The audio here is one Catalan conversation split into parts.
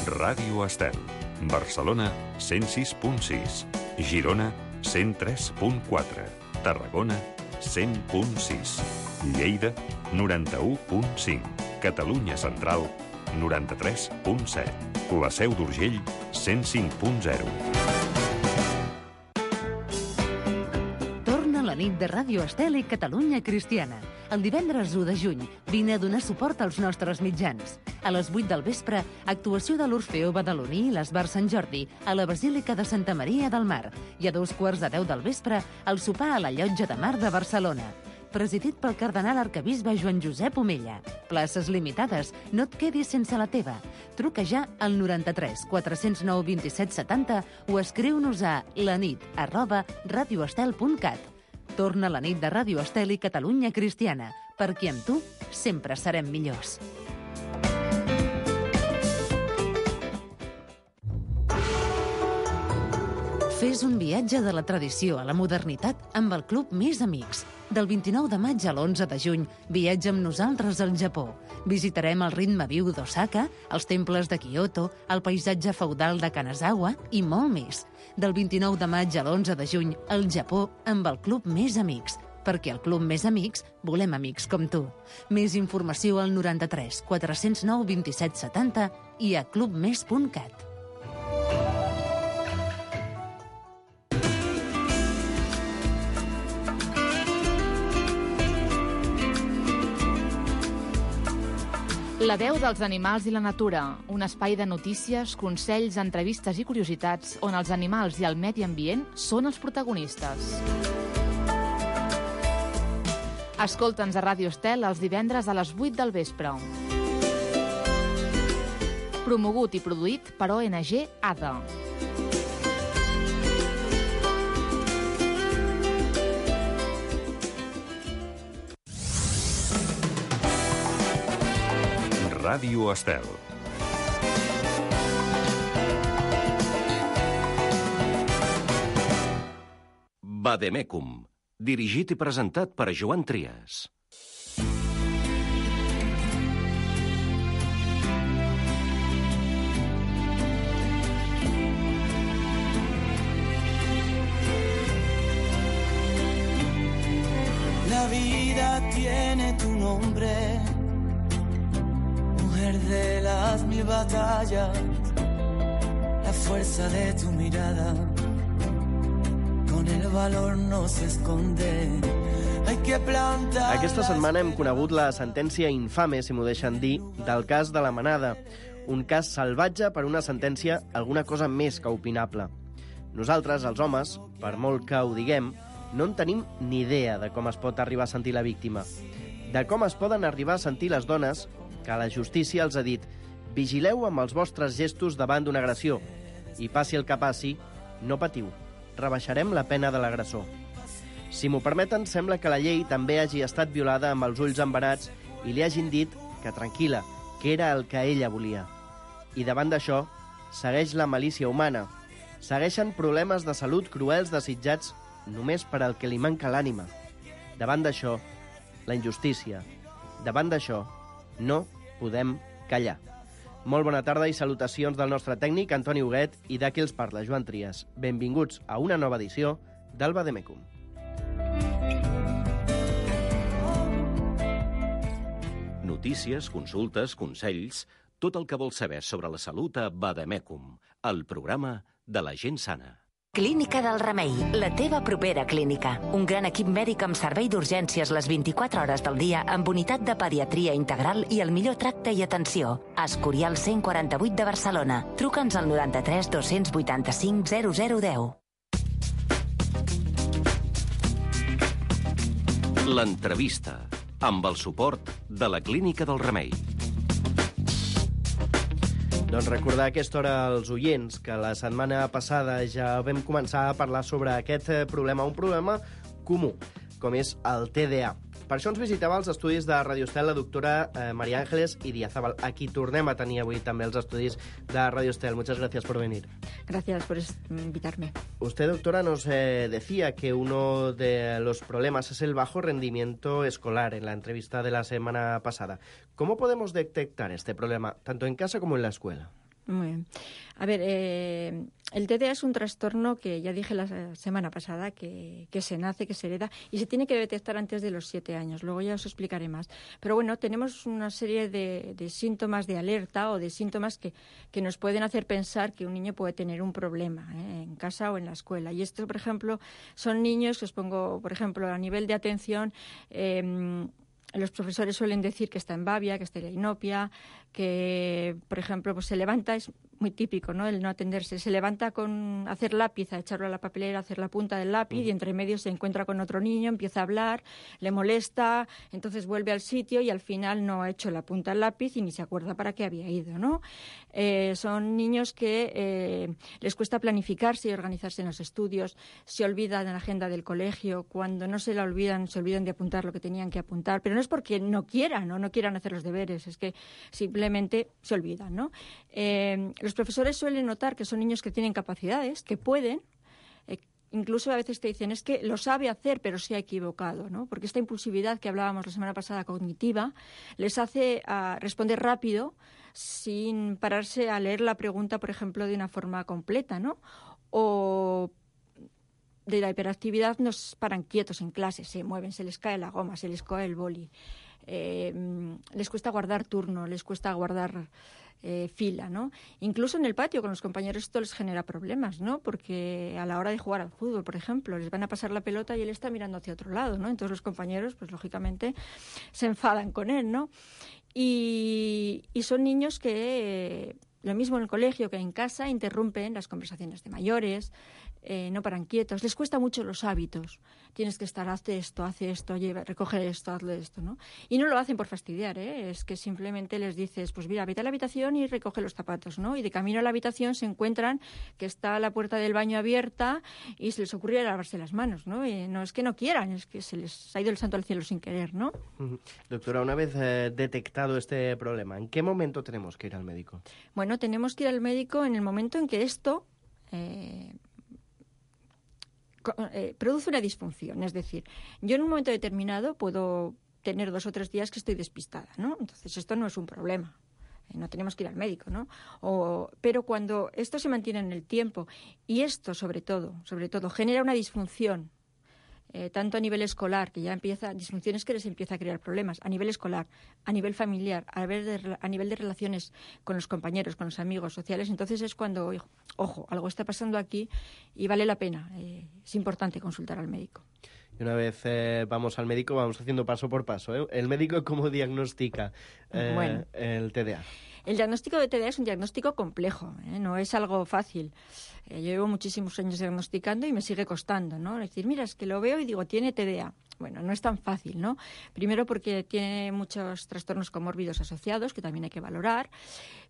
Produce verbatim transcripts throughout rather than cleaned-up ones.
Ràdio Estel. Barcelona, cent sis punt sis. Girona, cent tres punt quatre. Tarragona, cent punt sis. Lleida, noranta-u punt cinc. Catalunya Central, noranta-tres punt set. La Seu d'Urgell, cent cinc punt zero. Torna la nit de Ràdio Estel i Catalunya Cristiana. El divendres u de juny vine a donar suport als nostres mitjans. A les vuit del vespre, actuació de l'Orfeó Badaloní i l'Esbar Sant Jordi a la Basílica de Santa Maria del Mar. I a dos quarts de deu del vespre, el sopar a la Llotja de Mar de Barcelona. Presidit pel cardenal arquebisbe Joan Josep Omella. Places limitades, no et quedis sense la teva. Truca ja al noranta-tres quatre-cents nou vint-i-set setanta o escriu-nos a lanit arroba radioestel punt cat. Torna la nit de Ràdio Estel i Catalunya Cristiana, perquè amb tu sempre serem millors. Fes un viatge de la tradició a la modernitat amb el Club Més Amics. Del vint-i-nou de maig a l'onze de juny, viatja amb nosaltres al Japó. Visitarem el ritme viu d'Osaka, els temples de Kyoto, el paisatge feudal de Kanazawa i molt més. Del vint-i-nou de maig a l'onze de juny, al Japó amb el Club Més Amics. Perquè al Club Més Amics volem amics com tu. Més informació al noranta-tres quatre-cents nou vint-i-set setanta i a clubmes punt cat. La veu dels animals i la natura, un espai de notícies, consells, entrevistes i curiositats on els animals i el medi ambient són els protagonistes. Escolta'ns a Ràdio Estel els divendres a les vuit del vespre. Promogut i produït per O N G A D A. Ràdio Estel. Vademecum, dirigit i presentat per Joan Trias. La vida tiene tu nombre, de las mil batallas, la fuerza de tu mirada, con el valor no se esconde. Hay que plantar. Aquesta setmana hem conegut la sentència infame, si m'ho deixen dir, del cas de la Manada. Un cas salvatge per una sentència alguna cosa més que opinable. Nosaltres, els homes, per molt que ho diguem, no en tenim ni idea de com es pot arribar a sentir la víctima. De com es poden arribar a sentir les dones que la justícia els ha dit vigileu amb els vostres gestos davant d'una agressió i passi el que passi, no patiu, rebaixarem la pena de l'agressor. Si m'ho permeten, sembla que la llei també hagi estat violada amb els ulls embarats i li hagin dit que tranquil·la, que era el que ella volia. I davant d'això, segueix la malícia humana. Segueixen problemes de salut cruels desitjats només per al que li manca l'ànima. Davant d'això, la injustícia. Davant d'això, no podem callar. Molt bona tarda i salutacions del nostre tècnic, Antoni Huguet, i de qui els parla, Joan Trias. Benvinguts a una nova edició del Vademecum. Notícies, consultes, consells, tot el que vols saber sobre la salut a Vademecum, el programa de la gent sana. Clínica del Remei, la teva propera clínica. Un gran equip mèdic amb servei d'urgències les vint-i-quatre hores del dia amb unitat de pediatria integral i el millor tracte i atenció. Escorial cent quaranta-vuit de Barcelona. Truca'ns al noranta-tres dos-cents vuitanta-cinc zero zero deu. L'entrevista, amb el suport de la Clínica del Remei. Doncs recordar a aquesta hora als oients que la setmana passada ja vam començar a parlar sobre aquest problema, un problema comú, com és el T D A. Per això ens visitava als estudis de Radio Estel la doctora eh, María Ángeles Idiazábal. Aquí tornem a tenir avui també els estudis de Radio Estel. Muchas gracias por venir. Gracias por invitarme. Usted, doctora, nos eh, decía que uno de los problemas es el bajo rendimiento escolar en la entrevista de la semana pasada. ¿Cómo podemos detectar este problema, tanto en casa como en la escuela? Muy bien. A ver, eh, el T D A es un trastorno que ya dije la semana pasada que, que se nace, que se hereda y se tiene que detectar antes de los siete años. Luego ya os explicaré más. Pero bueno, tenemos una serie de, de síntomas de alerta o de síntomas que, que nos pueden hacer pensar que un niño puede tener un problema ¿eh? en casa o en la escuela. Y estos, por ejemplo, son niños que os pongo, por ejemplo, a nivel de atención. Eh, Los profesores suelen decir que está en babia, que está en inopia, que, por ejemplo, pues se levanta, es muy típico, ¿no?, el no atenderse. Se levanta con hacer lápiz, a echarlo a la papelera, a hacer la punta del lápiz, uh-huh. y entre medio se encuentra con otro niño, empieza a hablar, le molesta, entonces vuelve al sitio y al final no ha hecho la punta del lápiz y ni se acuerda para qué había ido, ¿no? Eh, son niños que eh, les cuesta planificarse y organizarse en los estudios, se olvidan de la agenda del colegio, cuando no se la olvidan, se olvidan de apuntar lo que tenían que apuntar, pero no es porque no quieran o no quieran hacer los deberes, es que simplemente se olvidan, ¿no? Eh, los profesores suelen notar que son niños que tienen capacidades, que pueden, eh, incluso a veces te dicen, es que lo sabe hacer, pero se ha equivocado, ¿no? Porque esta impulsividad que hablábamos la semana pasada, cognitiva, les hace uh, responder rápido sin pararse a leer la pregunta, por ejemplo, de una forma completa, ¿no? O de la hiperactividad nos paran quietos en clase, se mueven, se les cae la goma, se les cae el boli, eh, les cuesta guardar turno, les cuesta guardar eh, fila, ¿no? Incluso en el patio con los compañeros esto les genera problemas, ¿no? Porque a la hora de jugar al fútbol, por ejemplo, les van a pasar la pelota y él está mirando hacia otro lado, ¿no? Entonces los compañeros, pues lógicamente, se enfadan con él, ¿no? Y, y son niños que, eh, lo mismo en el colegio que en casa, interrumpen las conversaciones de mayores, eh, no paran quietos, les cuesta mucho los hábitos. Tienes que estar, hazte esto, hace esto, lleva, recoge esto, hazle esto, ¿no? Y no lo hacen por fastidiar, ¿eh? Es que simplemente les dices, pues mira, vete a la habitación y recoge los zapatos, ¿no? Y de camino a la habitación se encuentran que está la puerta del baño abierta y se les ocurre lavarse las manos, ¿no? Y no es que no quieran, es que se les ha ido el santo al cielo sin querer, ¿no? Uh-huh. Doctora, una vez eh, detectado este problema, ¿en qué momento tenemos que ir al médico? Bueno, tenemos que ir al médico en el momento en que esto eh, eh, produce una disfunción. Es decir, yo en un momento determinado puedo tener dos o tres días que estoy despistada, ¿no? Entonces esto no es un problema. No tenemos que ir al médico, ¿no? O, pero cuando esto se mantiene en el tiempo y esto, sobre todo, sobre todo, genera una disfunción, eh, tanto a nivel escolar, que ya empieza, disfunciones que les empieza a crear problemas, a nivel escolar, a nivel familiar, a nivel de, a nivel de relaciones con los compañeros, con los amigos sociales, entonces es cuando, ojo, algo está pasando aquí y vale la pena, eh, es importante consultar al médico. Y una vez eh, vamos al médico, vamos haciendo paso por paso, ¿eh? ¿El médico cómo diagnostica eh, bueno, el T D A? El diagnóstico de T D A es un diagnóstico complejo, ¿eh? No es algo fácil. Eh, yo llevo muchísimos años diagnosticando y me sigue costando, ¿no? Es decir, mira, es que lo veo y digo, tiene T D A. Bueno, no es tan fácil, ¿no? Primero porque tiene muchos trastornos comórbidos asociados, que también hay que valorar,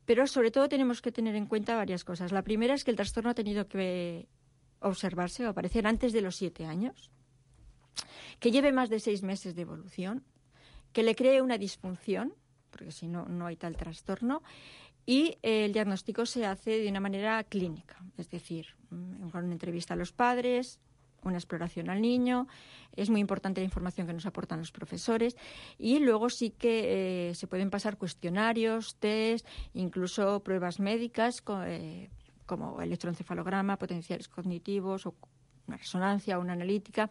pero sobre todo tenemos que tener en cuenta varias cosas. La primera es que el trastorno ha tenido que observarse o aparecer antes de los siete años, que lleve más de seis meses de evolución, que le cree una disfunción, porque si no, no hay tal trastorno, y eh, el diagnóstico se hace de una manera clínica, es decir, con una entrevista a los padres, una exploración al niño, es muy importante la información que nos aportan los profesores, y luego sí que eh, se pueden pasar cuestionarios, test, incluso pruebas médicas, eh, como electroencefalograma, potenciales cognitivos o una resonancia o una analítica,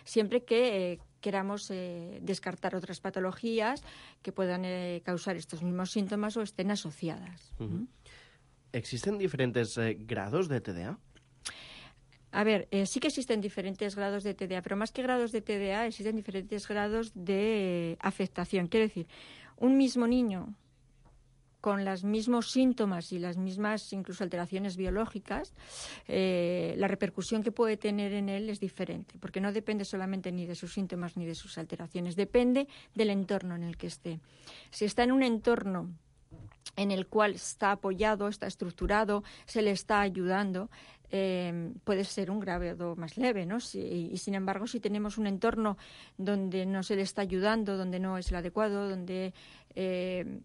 siempre que eh, queramos eh, descartar otras patologías que puedan eh, causar estos mismos síntomas o estén asociadas. Uh-huh. ¿Existen diferentes eh, grados de T D A? A ver, eh, sí que existen diferentes grados de T D A, pero más que grados de T D A existen diferentes grados de eh, afectación. Quiero decir, un mismo niño con los mismos síntomas y las mismas incluso alteraciones biológicas, eh, la repercusión que puede tener en él es diferente, porque no depende solamente ni de sus síntomas ni de sus alteraciones, depende del entorno en el que esté. Si está en un entorno en el cual está apoyado, está estructurado, se le está ayudando, eh, puede ser un grado más leve, ¿no? Si, y sin embargo, si tenemos un entorno donde no se le está ayudando, donde no es el adecuado, donde eh,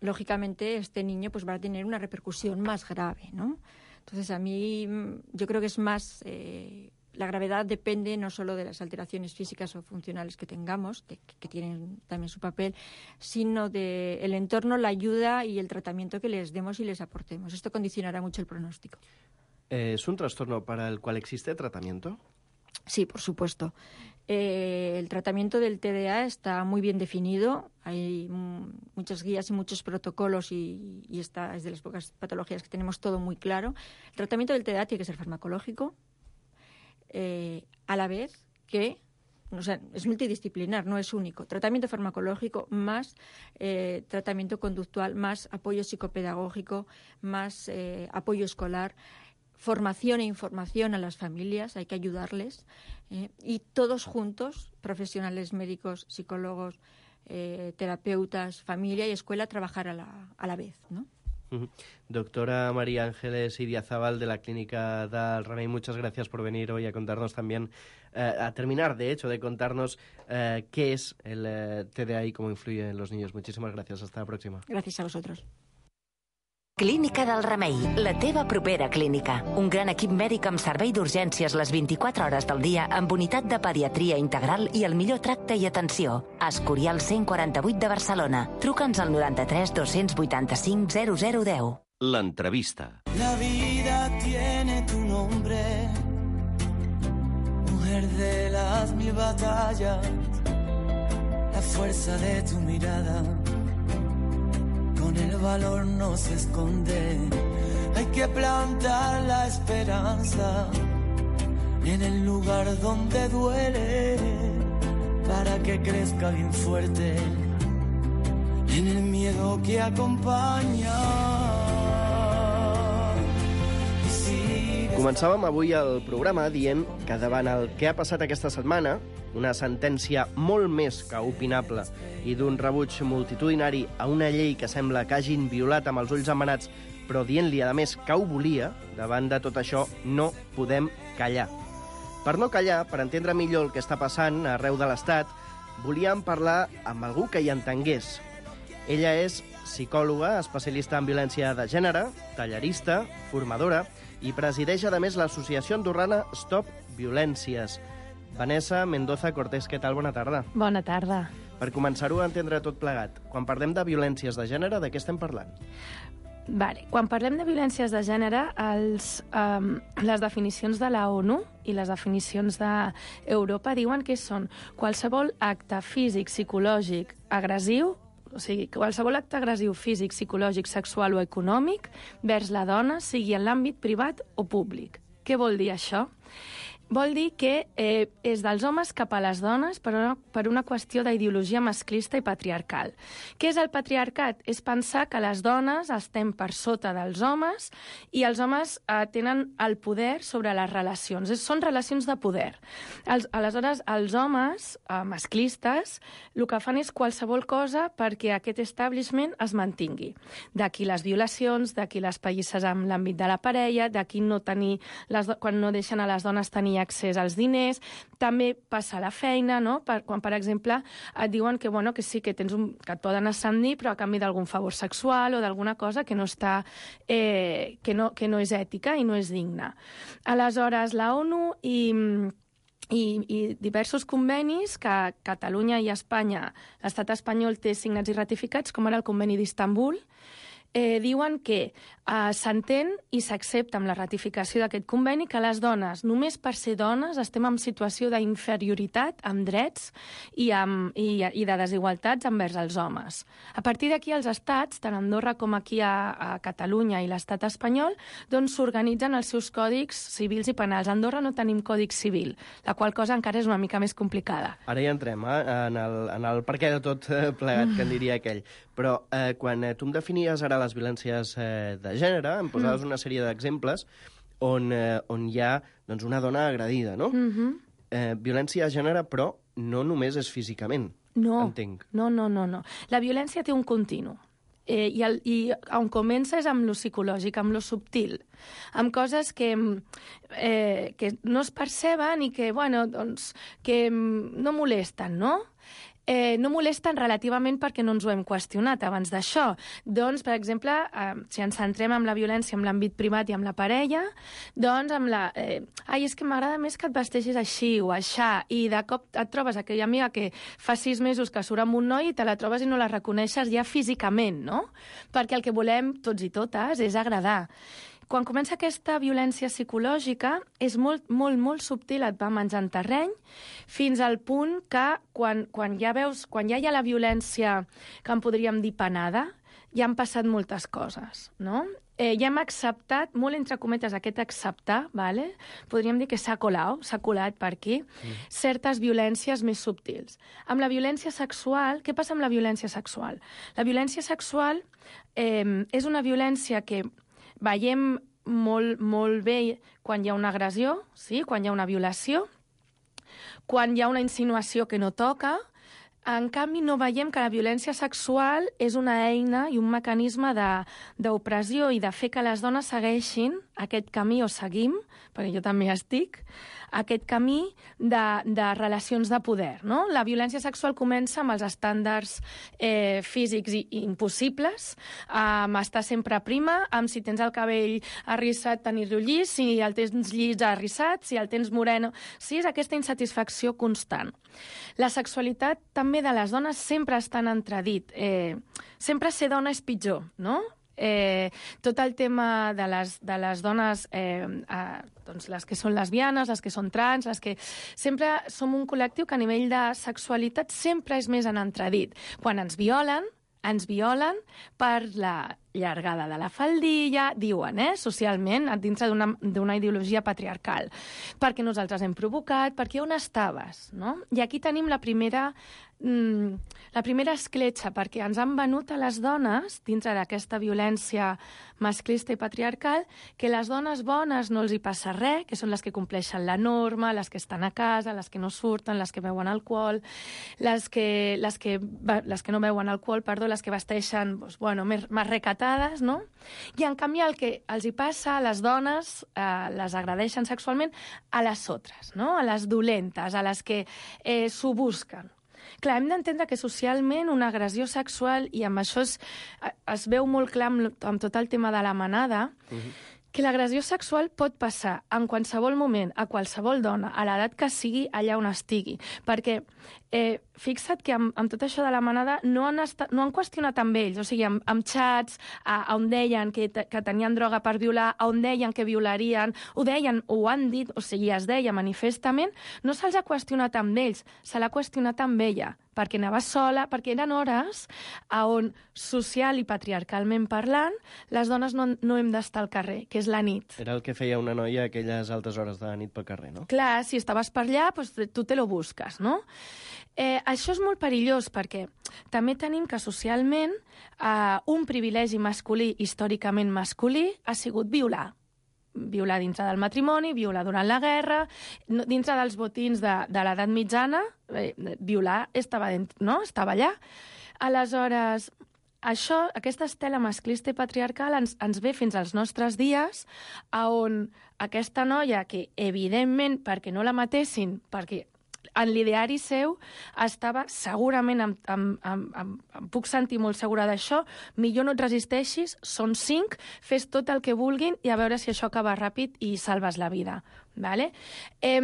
lógicamente este niño pues va a tener una repercusión más grave, ¿no? Entonces a mí yo creo que es más eh, la gravedad depende no solo de las alteraciones físicas o funcionales que tengamos, que, que tienen también su papel, sino del entorno, la ayuda y el tratamiento que les demos y les aportemos. Esto condicionará mucho el pronóstico. ¿Es un trastorno para el cual existe tratamiento? Sí, por supuesto. Eh, el tratamiento del T D A está muy bien definido. Hay m- muchas guías y muchos protocolos y, y esta es de las pocas patologías que tenemos todo muy claro. El tratamiento del T D A tiene que ser farmacológico, eh, a la vez que, o sea, es multidisciplinar, no es único. Tratamiento farmacológico más eh, tratamiento conductual, más apoyo psicopedagógico, más eh, apoyo escolar, formación e información a las familias, hay que ayudarles, eh, y todos juntos, profesionales médicos, psicólogos, eh, terapeutas, familia y escuela, trabajar a la, a la vez, ¿no? Uh-huh. Doctora María Ángeles Idiazabal de la Clínica del Remei, muchas gracias por venir hoy a contarnos también, eh, a terminar de hecho de contarnos eh, qué es el eh, T D A y cómo influye en los niños. Muchísimas gracias, hasta la próxima. Gracias a vosotros. Clínica del Remei, la teva propera clínica. Un gran equip mèdic amb servei d'urgències les vint-i-quatre hores del dia amb unitat de pediatria integral i el millor tracte i atenció. Escorial cent quaranta-vuit de Barcelona. Truca'ns al noranta-tres dos vuitanta-cinc zero zero deu. L'entrevista. La vida tiene tu nombre, mujer de las mil batallas, la fuerza de tu mirada. Con el valor no se esconde, hay que plantar la esperanza en el lugar donde duele, para que crezca bien fuerte en el miedo que acompaña. Començàvem avui el programa dient que davant el que ha passat aquesta setmana, una sentència molt més que opinable i d'un rebuig multitudinari a una llei que sembla que hagin violat amb els ulls embenats, però dient-li, a més, que ho volia, davant de tot això no podem callar. Per no callar, per entendre millor el que està passant arreu de l'Estat, volíem parlar amb algú que hi entengués. Ella és psicòloga, especialista en violència de gènere, tallerista, formadora i presideix, a més, l'associació andorrana Stop Violències. Vanessa Mendoza Cortés, què tal? Bona tarda. Bona tarda. Per començar-ho a entendre tot plegat, quan parlem de violències de gènere, de què estem parlant? Vale. Quan parlem de violències de gènere, els, um, les definicions de la ONU i les definicions d'Europa diuen que són qualsevol acte físic, psicològic, agressiu, o sigui, qualsevol acte agressiu físic, psicològic, sexual o econòmic vers la dona, sigui en l'àmbit privat o públic. Què vol dir això? Vol dir que eh, és dels homes cap a les dones per una, per una qüestió d'ideologia masclista i patriarcal. Què és el patriarcat? És pensar que les dones estem per sota dels homes i els homes eh, tenen el poder sobre les relacions. És, són relacions de poder. Els, aleshores, els homes eh, masclistes el que fan és qualsevol cosa perquè aquest establishment es mantingui. D'aquí les violacions, d'aquí les pallisses amb l'àmbit de la parella, d'aquí no tenir les, quan no deixen a les dones tenir accés als diners, també passa a la feina, no? Per, quan, per exemple, et diuen que, bueno, que sí, que, tens un, que et poden ascendir, però a canvi d'algun favor sexual o d'alguna cosa que no, està, eh, que, no, que no és ètica i no és digna. Aleshores, la ONU i... I, i diversos convenis que Catalunya i Espanya, l'estat espanyol té signats i ratificats, com ara el conveni d'Istanbul, eh, diuen que eh, s'entén i s'accepta amb la ratificació d'aquest conveni que les dones, només per ser dones, estem en situació d'inferioritat amb drets i, amb, i, i de desigualtats envers els homes. A partir d'aquí, els estats, tant a Andorra com aquí a, a Catalunya i l'estat espanyol, doncs s'organitzen els seus còdics civils i penals. A Andorra no tenim còdic civil, la qual cosa encara és una mica més complicada. Ara ja entrem eh, en, el, en el per què de tot eh, plegat, que en diria aquell. Però eh, quan eh, tu em definies ara les violències eh, de gènere, em posaves mm. una sèrie d'exemples on, eh, on hi ha doncs, una dona agredida, no? Mm-hmm. Eh, violència de gènere, però no només és físicament, no, entenc. No, no, no, no. La violència té un continu. Eh, i, el, I on comença és amb lo psicològic, amb lo subtil, amb coses que, eh, que no es perceben i que, bueno, doncs, que no molesten, no? eh, no molesten relativament perquè no ens ho hem qüestionat abans d'això. Doncs, per exemple, eh, si ens centrem en la violència en l'àmbit privat i amb la parella, doncs amb la... Eh, ai, és que m'agrada més que et vesteixis així o aixà, i de cop et trobes aquella amiga que fa sis mesos que surt amb un noi i te la trobes i no la reconeixes ja físicament, no? Perquè el que volem tots i totes és agradar. Quan comença aquesta violència psicològica, és molt, molt, molt subtil, et va menjant terreny, fins al punt que quan, quan ja veus, quan ja hi ha la violència que en podríem dir penada, ja han passat moltes coses, no? Eh, ja hem acceptat, molt entre cometes, aquest acceptar, vale? Podríem dir que s'ha colat, s'ha colat per aquí, mm. certes violències més subtils. Amb la violència sexual, què passa amb la violència sexual? La violència sexual eh, és una violència que veiem molt, molt bé quan hi ha una agressió, sí? Quan hi ha una violació, quan hi ha una insinuació que no toca. En canvi, no veiem que la violència sexual és una eina i un mecanisme d'opressió i de fer que les dones segueixin aquest camí, o seguim, perquè jo també estic, aquest camí de, de relacions de poder, no? La violència sexual comença amb els estàndards eh, físics i, i impossibles, amb estar sempre prima, amb si tens el cabell arrissat tenir-lo llis, si el tens llis arrissat, si el tens moreno... Sí, és aquesta insatisfacció constant. La sexualitat també de les dones sempre està en entredit. Eh, sempre ser dona és pitjor, no? Eh, tot el tema de les, de les dones, eh, eh, doncs les que són lesbianes, les que són trans, les que... Sempre som un col·lectiu que a nivell de sexualitat sempre és més en entredit. Quan ens violen, ens violen per la llargada de la faldilla, diuen, eh, socialment, dintre d'una ideologia patriarcal. Perquè nosaltres hem provocat, perquè on estaves, no? I aquí tenim la primera, mm, la primera escletxa, perquè ens han venut a les dones, dintre d'aquesta violència masclista i patriarcal, que les dones bones no els hi passa res, que són les que compleixen la norma, les que estan a casa, les que no surten, les que beuen alcohol, les que, les que, les que no beuen alcohol, perdó, les que vesteixen, doncs, bueno, més, més recatades, no? I en canvi el que els hi passa a les dones, eh, les agredeixen sexualment a les altres, no? A les dolentes, a les que eh, s'ho busquen. Clar, hem d'entendre que socialment una agressió sexual, i amb això es, es veu molt clar amb, amb tot el tema de la manada, uh-huh. que l'agressió sexual pot passar en qualsevol moment, a qualsevol dona, a l'edat que sigui, allà on estigui. Perquè eh, fixa't que amb, amb tot això de la manada no han, estat, no han qüestionat amb ells, o sigui, amb, amb xats, a, on deien que, que tenien droga per violar, on deien que violarien, ho deien, ho han dit, o sigui, es deia manifestament, no se'ls ha qüestionat amb ells, se l'ha qüestionat amb ella, perquè anava sola, perquè eren hores on, social i patriarcalment parlant, les dones no, no hem d'estar al carrer, que és la nit. Era el que feia una noia a aquelles altes hores de la nit pel carrer, no? Clar, si estaves per allà, doncs tu te lo busques, no? Eh, això és molt perillós, perquè també tenim que socialment eh, un privilegi masculí, històricament masculí, ha sigut violar. Violar dintre del matrimoni, violar durant la guerra, dintre dels botins de, de l'edat mitjana, eh, violar estava, dent, no? estava allà. Aleshores, això, aquesta estela masclista i patriarcal ens, ens ve fins als nostres dies, on aquesta noia, que evidentment, perquè no la matessin, perquè en l'ideari seu estava segurament, em, em, em, em, em puc sentir molt segura d'això, millor no et resisteixis, són cinc, fes tot el que vulguin i a veure si això acaba ràpid i salves la vida. Vale? Eh,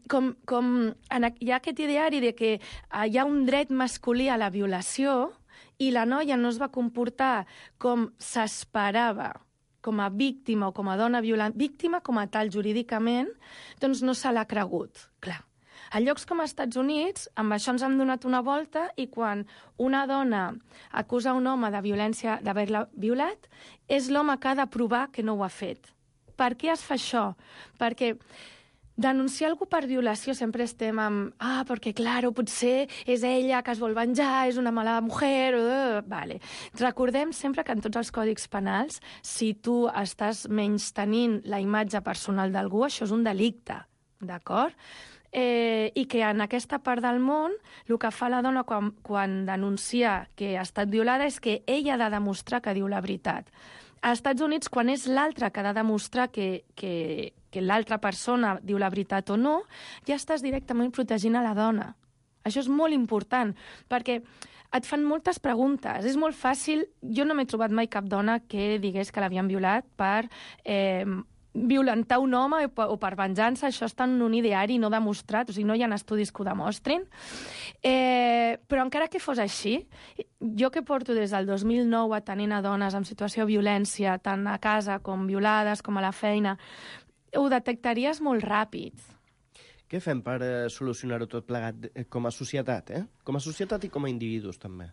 com, com en, hi ha aquest ideari de que hi ha un dret masculí a la violació i la noia no es va comportar com s'esperava, com a víctima o com a dona violant, víctima com a tal jurídicament, doncs no se l'ha cregut, clar. A llocs com als Estats Units, amb això ens hem donat una volta i quan una dona acusa un home de violència, d'haver-la violat, és l'home que ha de provar que no ho ha fet. Per què es fa això? Perquè denunciar algú per violació sempre estem amb ah, perquè, claro, potser és ella que es vol venjar, és una mala mujer... Uh, vale. Recordem sempre que en tots els còdics penals, si tu estàs menystenint la imatge personal d'algú, això és un delicte, d'acord? Eh, i que en aquesta part del món el que fa la dona quan, quan denuncia que ha estat violada és que ella ha de demostrar que diu la veritat. Als Estats Units, quan és l'altre que ha de demostrar que, que, que l'altra persona diu la veritat o no, ja estàs directament protegint a la dona. Això és molt important, perquè et fan moltes preguntes. És molt fàcil... Jo no m'he trobat mai cap dona que digués que l'havien violat per eh, violentar un home o per venjança. Això està en un ideari no demostrat, o sigui, no hi ha estudis que ho demostrin. Eh, però encara que fos així, jo que porto des del dos mil nou atenent a dones en situació de violència, tant a casa com violades, com a la feina, ho detectaries molt ràpid. Què fem per eh, solucionar-ho tot plegat eh, com a societat, eh? Com a societat i com a individus, també.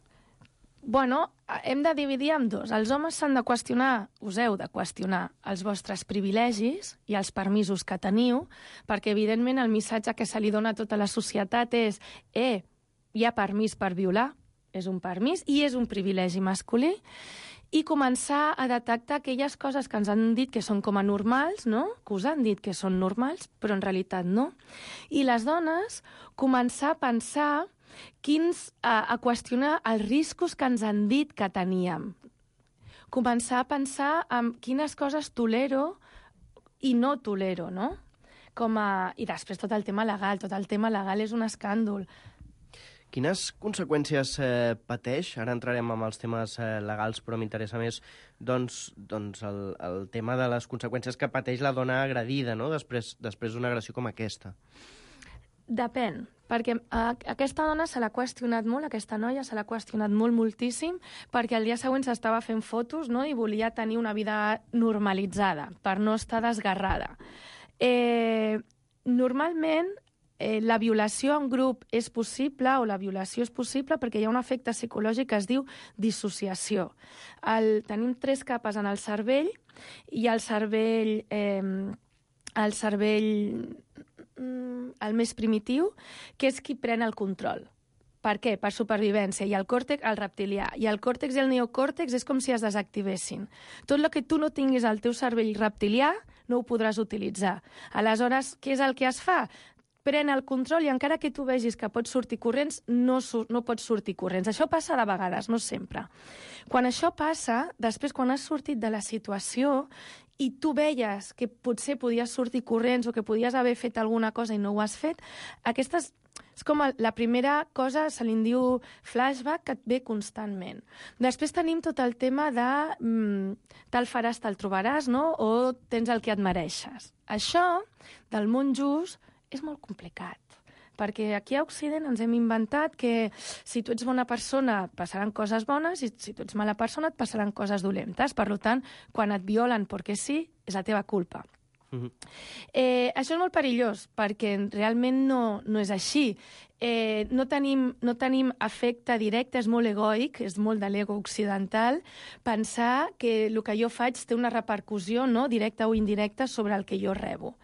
Bueno, hem de dividir en dos. Els homes s'han de qüestionar, us heu de qüestionar, els vostres privilegis i els permisos que teniu, perquè, evidentment, el missatge que se li dona a tota la societat és eh, hi ha permís per violar, és un permís i és un privilegi masculí, i començar a detectar aquelles coses que ens han dit que són com a normals, no? Que us han dit que són normals, però en realitat no. I les dones començar a pensar quins, a, a qüestionar els riscos que ens han dit que teníem. Començar a pensar en quines coses tolero i no tolero, no? Com a... I després tot el tema legal. Tot el tema legal és un escàndol. Quines conseqüències eh, pateix? Ara entrarem amb els temes eh, legals, però m'interessa més doncs, doncs el, el tema de les conseqüències que pateix la dona agredida, no? després, després d'una agressió com aquesta. Depèn, perquè a, aquesta dona se l'ha qüestionat molt, aquesta noia se l'ha qüestionat molt, moltíssim, perquè el dia següent s'estava fent fotos, no?, i volia tenir una vida normalitzada, per no estar desgarrada. Eh, normalment, Eh, la violació en grup és possible, o la violació és possible perquè hi ha un efecte psicològic que es diu dissociació. El, tenim tres capes en el cervell, i el cervell, eh, el cervell mm, el més primitiu, que és qui pren el control. Per què? Per supervivència. I el còrtex, el reptilià. I el còrtex i el neocòrtex és com si es desactivessin. Tot el que tu no tinguis al teu cervell reptilià no ho podràs utilitzar. Aleshores, què és el que es fa? Pren el control i encara que tu vegis que pots sortir corrents, no, no pots sortir corrents. Això passa de vegades, no sempre. Quan això passa, després quan has sortit de la situació i tu veies que potser podies sortir corrents o que podies haver fet alguna cosa i no ho has fet, aquestes... És com la primera cosa, se li diu flashback, que et ve constantment. Després tenim tot el tema de mm, te'l faràs, te'l trobaràs, no? O tens el que et mereixes. Això, del món just, és molt complicat, perquè aquí a Occident ens hem inventat que si tu ets bona persona et passaran coses bones i si tu ets mala persona et passaran coses dolentes. Per tant, quan et violen perquè sí, és la teva culpa. Uh-huh. Eh, això és molt perillós, perquè realment no, no és així. Eh, no, tenim, no tenim efecte directe, és molt egoic, és molt de l'ego occidental, pensar que el que jo faig té una repercussió, no, directa o indirecta sobre el que jo rebo.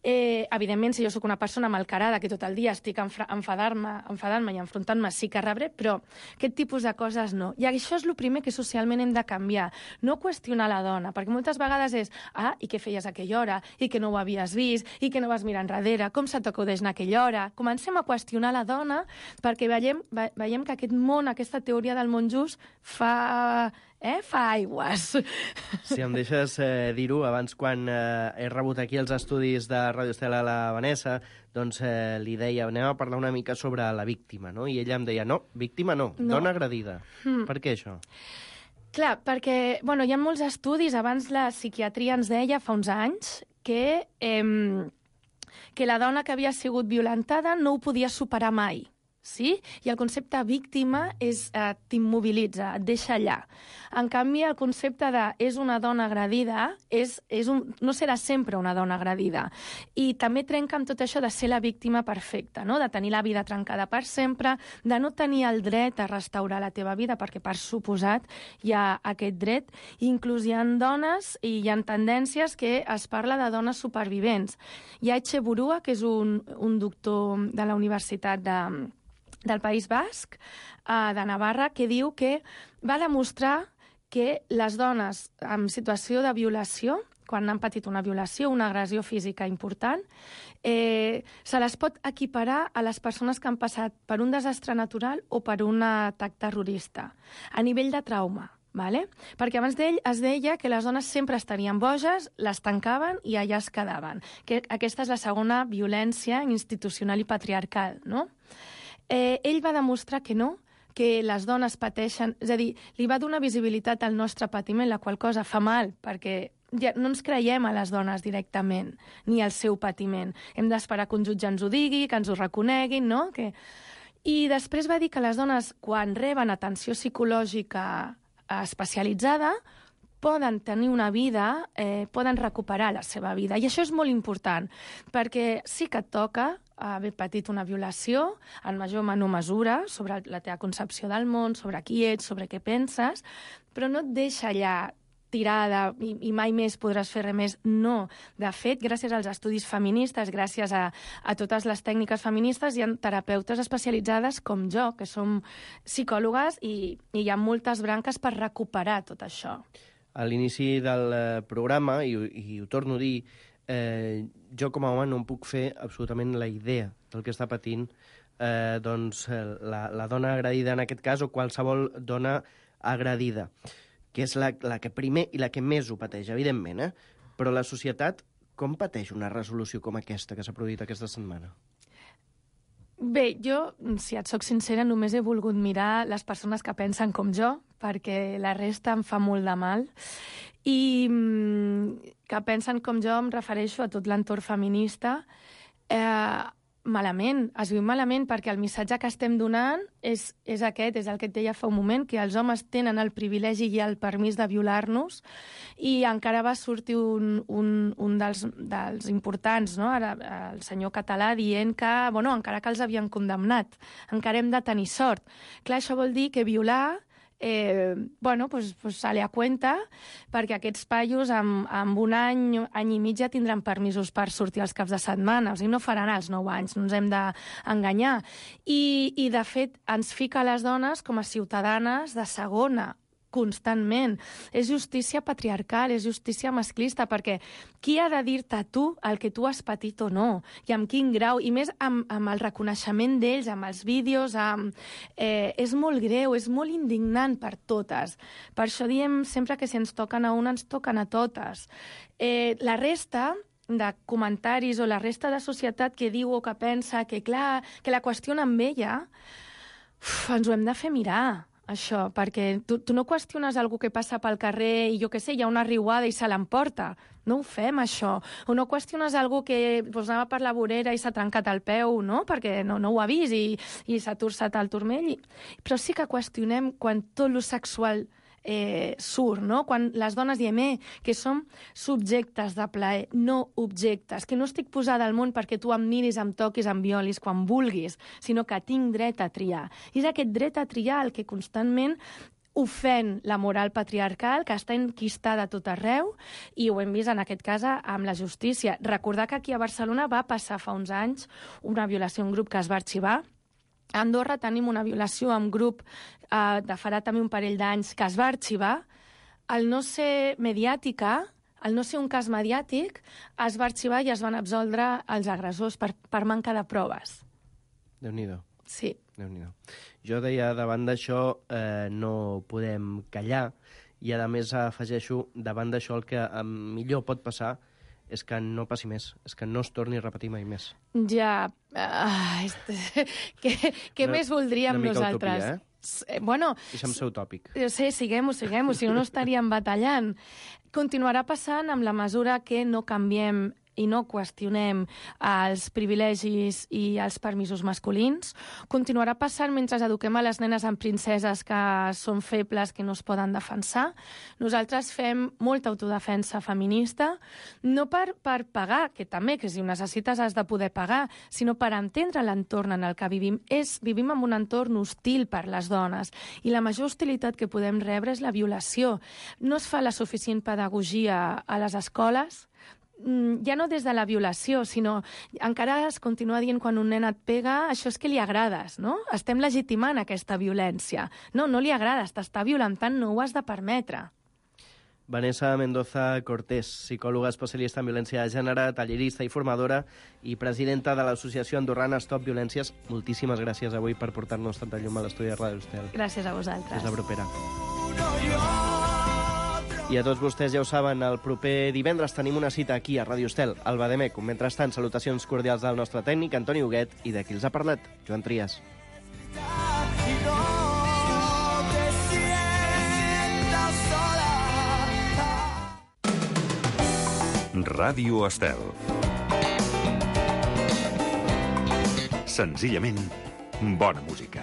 Eh, evidentment, si jo sóc una persona malcarada, que tot el dia estic enfadant-me enfadant-me i enfrontant-me, sí que rebré, però aquest tipus de coses no. I això és el primer que socialment hem de canviar. No qüestionar la dona, perquè moltes vegades és ah, i què feies a aquella hora? I que no ho havies vist? I que no vas mirar enrere? Com se t'acudeix en aquella hora? Comencem a qüestionar la dona perquè veiem, ve, veiem que aquest món, aquesta teoria del món just, fa... Eh? Fa aigües. Si em deixes eh, dir-ho, abans quan eh, he rebut aquí els estudis de Radio Estela a la Vanessa, doncs eh, li deia, anem a parlar una mica sobre la víctima, no? I ella em deia, no, víctima no, no. Dona agredida. Mm. Per què això? Clar, perquè bueno, hi ha molts estudis, abans la psiquiatria ens deia fa uns anys que, eh, que la dona que havia sigut violentada no ho podia superar mai. Sí? I el concepte víctima és, eh, t'immobilitza, et deixa allà. En canvi, el concepte de és una dona agredida és, és un, no serà sempre una dona agredida. I també trenca amb tot això de ser la víctima perfecta, no? De tenir la vida trencada per sempre, de no tenir el dret a restaurar la teva vida, perquè per suposat hi ha aquest dret. Inclús hi ha dones i hi ha tendències que es parla de dones supervivents. Hi ha Etxeburua, que és un, un doctor de la Universitat de... del País Basc, de Navarra, que diu que va demostrar que les dones en situació de violació, quan han patit una violació, una agressió física important, eh, se les pot equiparar a les persones que han passat per un desastre natural o per un atac terrorista, a nivell de trauma. Vale? Perquè abans d'ell es deia que les dones sempre estarien boges, les tancaven i allà es quedaven. Que aquesta és la segona violència institucional i patriarcal, no? eh, ell va demostrar que no, que les dones pateixen, és a dir, li va donar visibilitat al nostre patiment, la qual cosa fa mal, perquè ja no ens creiem a les dones directament, ni al seu patiment. Hem d'esperar que un jutge ens ho digui, que ens ho reconeguin, no? Que... I després va dir que les dones, quan reben atenció psicològica especialitzada, poden tenir una vida, eh, poden recuperar la seva vida. I això és molt important, perquè sí que et toca haver patit una violació, en major o menor mesura, sobre la teva concepció del món, sobre qui ets, sobre què penses, però no et deixa allà tirada i, i mai més podràs fer res més. No. De fet, gràcies als estudis feministes, gràcies a, a totes les tècniques feministes, hi ha terapeutes especialitzades com jo, que som psicòlogues, i, i hi ha moltes branques per recuperar tot això. A l'inici del programa, i, i ho torno a dir, eh, jo com a home no em puc fer absolutament la idea del que està patint eh, doncs, la, la dona agredida en aquest cas, o qualsevol dona agredida, que és la, la que primer i la que més ho pateix, evidentment, eh? Però la societat com pateix una resolució com aquesta que s'ha produït aquesta setmana? Bé, jo, si et soc sincera, només he volgut mirar les persones que pensen com jo, perquè la resta em fa molt de mal. I que pensen com jo em refereixo a tot l'entorn feminista. Eh, malament, es viu malament, perquè el missatge que estem donant és, és aquest, és el que et deia fa un moment, que els homes tenen el privilegi i el permís de violar-nos, i encara va sortir un, un, un dels, dels importants, no? Ara, el senyor Català, dient que, bueno, encara que els havien condemnat, encara hem de tenir sort. Clar, això vol dir que violar Eh, bueno, pues, pues sale a cuenta, perquè aquests paios amb, amb un any, any i mig ja tindran permisos per sortir els caps de setmana, o sigui, no faran els nou anys, no ens hem d'enganyar. I, I, de fet, ens fica a les dones com a ciutadanes de segona, constantment. És justícia patriarcal, és justícia masclista, perquè qui ha de dir-te a tu el que tu has patit o no? I amb quin grau? I més amb, amb el reconeixement d'ells, amb els vídeos, amb... Eh, és molt greu, és molt indignant per totes. Per això diem sempre que si ens toquen a una, ens toquen a totes. Eh, la resta de comentaris o la resta de societat que diu o que pensa que, clar, que la qüestiona amb ella, uf, ens ho hem de fer mirar, això, perquè tu, tu no qüestiones algú que passa pel carrer i, jo què sé, hi ha una riuada i se l'emporta. No ho fem, això. O no qüestiones algú que pues, anava per la vorera i s'ha trencat el peu, no?, perquè no, no ho ha vist i, i s'ha torçat el turmell. I... Però sí que qüestionem quan tot lo sexual eh, surt, no? Quan les dones diem eh, que som subjectes de plaer, no objectes, que no estic posada al món perquè tu em miris, em toquis, em violis quan vulguis, sinó que tinc dret a triar. I és aquest dret a triar el que constantment ofèn la moral patriarcal, que està enquistada a tot arreu, i ho hem vist en aquest cas amb la justícia. Recordar que aquí a Barcelona va passar fa uns anys una violació en grup que es va arxivar. A Andorra tenim una violació en grup eh, de farà també un parell d'anys que es va arxivar. Al no ser mediàtica, al no ser un cas mediàtic, es va arxivar i es van absoldre els agressors per, per manca de proves. Déu-n'hi-do. Sí. Déu-n'hi-do. Jo deia, davant d'això eh, no podem callar, i a més afegeixo, davant d'això el que millor pot passar és que no passi més, és que no es torni a repetir mai més. Ja, uh, este, què, què una, més voldríem una mica nosaltres? Utopia, eh? Bueno, deixa'm ser utòpic. Sí, siguem-ho, siguem-ho, si no, no estaríem batallant. Continuarà passant amb la mesura que no canviem i no qüestionem els privilegis i els permisos masculins. Continuarà passant mentre eduquem a les nenes en princeses que són febles, que no es poden defensar. Nosaltres fem molta autodefensa feminista, no per, per pagar, que també, que si ho necessites has de poder pagar, sinó per entendre l'entorn en el que vivim. És, vivim en un entorn hostil per les dones, i la major hostilitat que podem rebre és la violació. No es fa la suficient pedagogia a les escoles, ja no des de la violació, sinó encara es continua dient quan un nen et pega, això és que li agrades, no? Estem legitimant aquesta violència. No, no li agrades, t'està violentant, no ho has de permetre. Vanessa Mendoza Cortés, psicòloga especialista en violència de gènere, tallerista i formadora i presidenta de l'associació andorrana Stop Violències. Moltíssimes gràcies avui per portar-nos tanta llum a l'estudi de Ràdio Estel. Gràcies a vosaltres. Fins la propera. I a tots vostès ja ho saben, el proper divendres tenim una cita aquí a Ràdio Estel, al Bademecum. Mentrestant, salutacions cordials del nostre tècnic, Antoni Huguet, i de qui els ha parlat, Joan Trias. Y no te sientas sola. Ràdio Estel. Senzillament, bona música.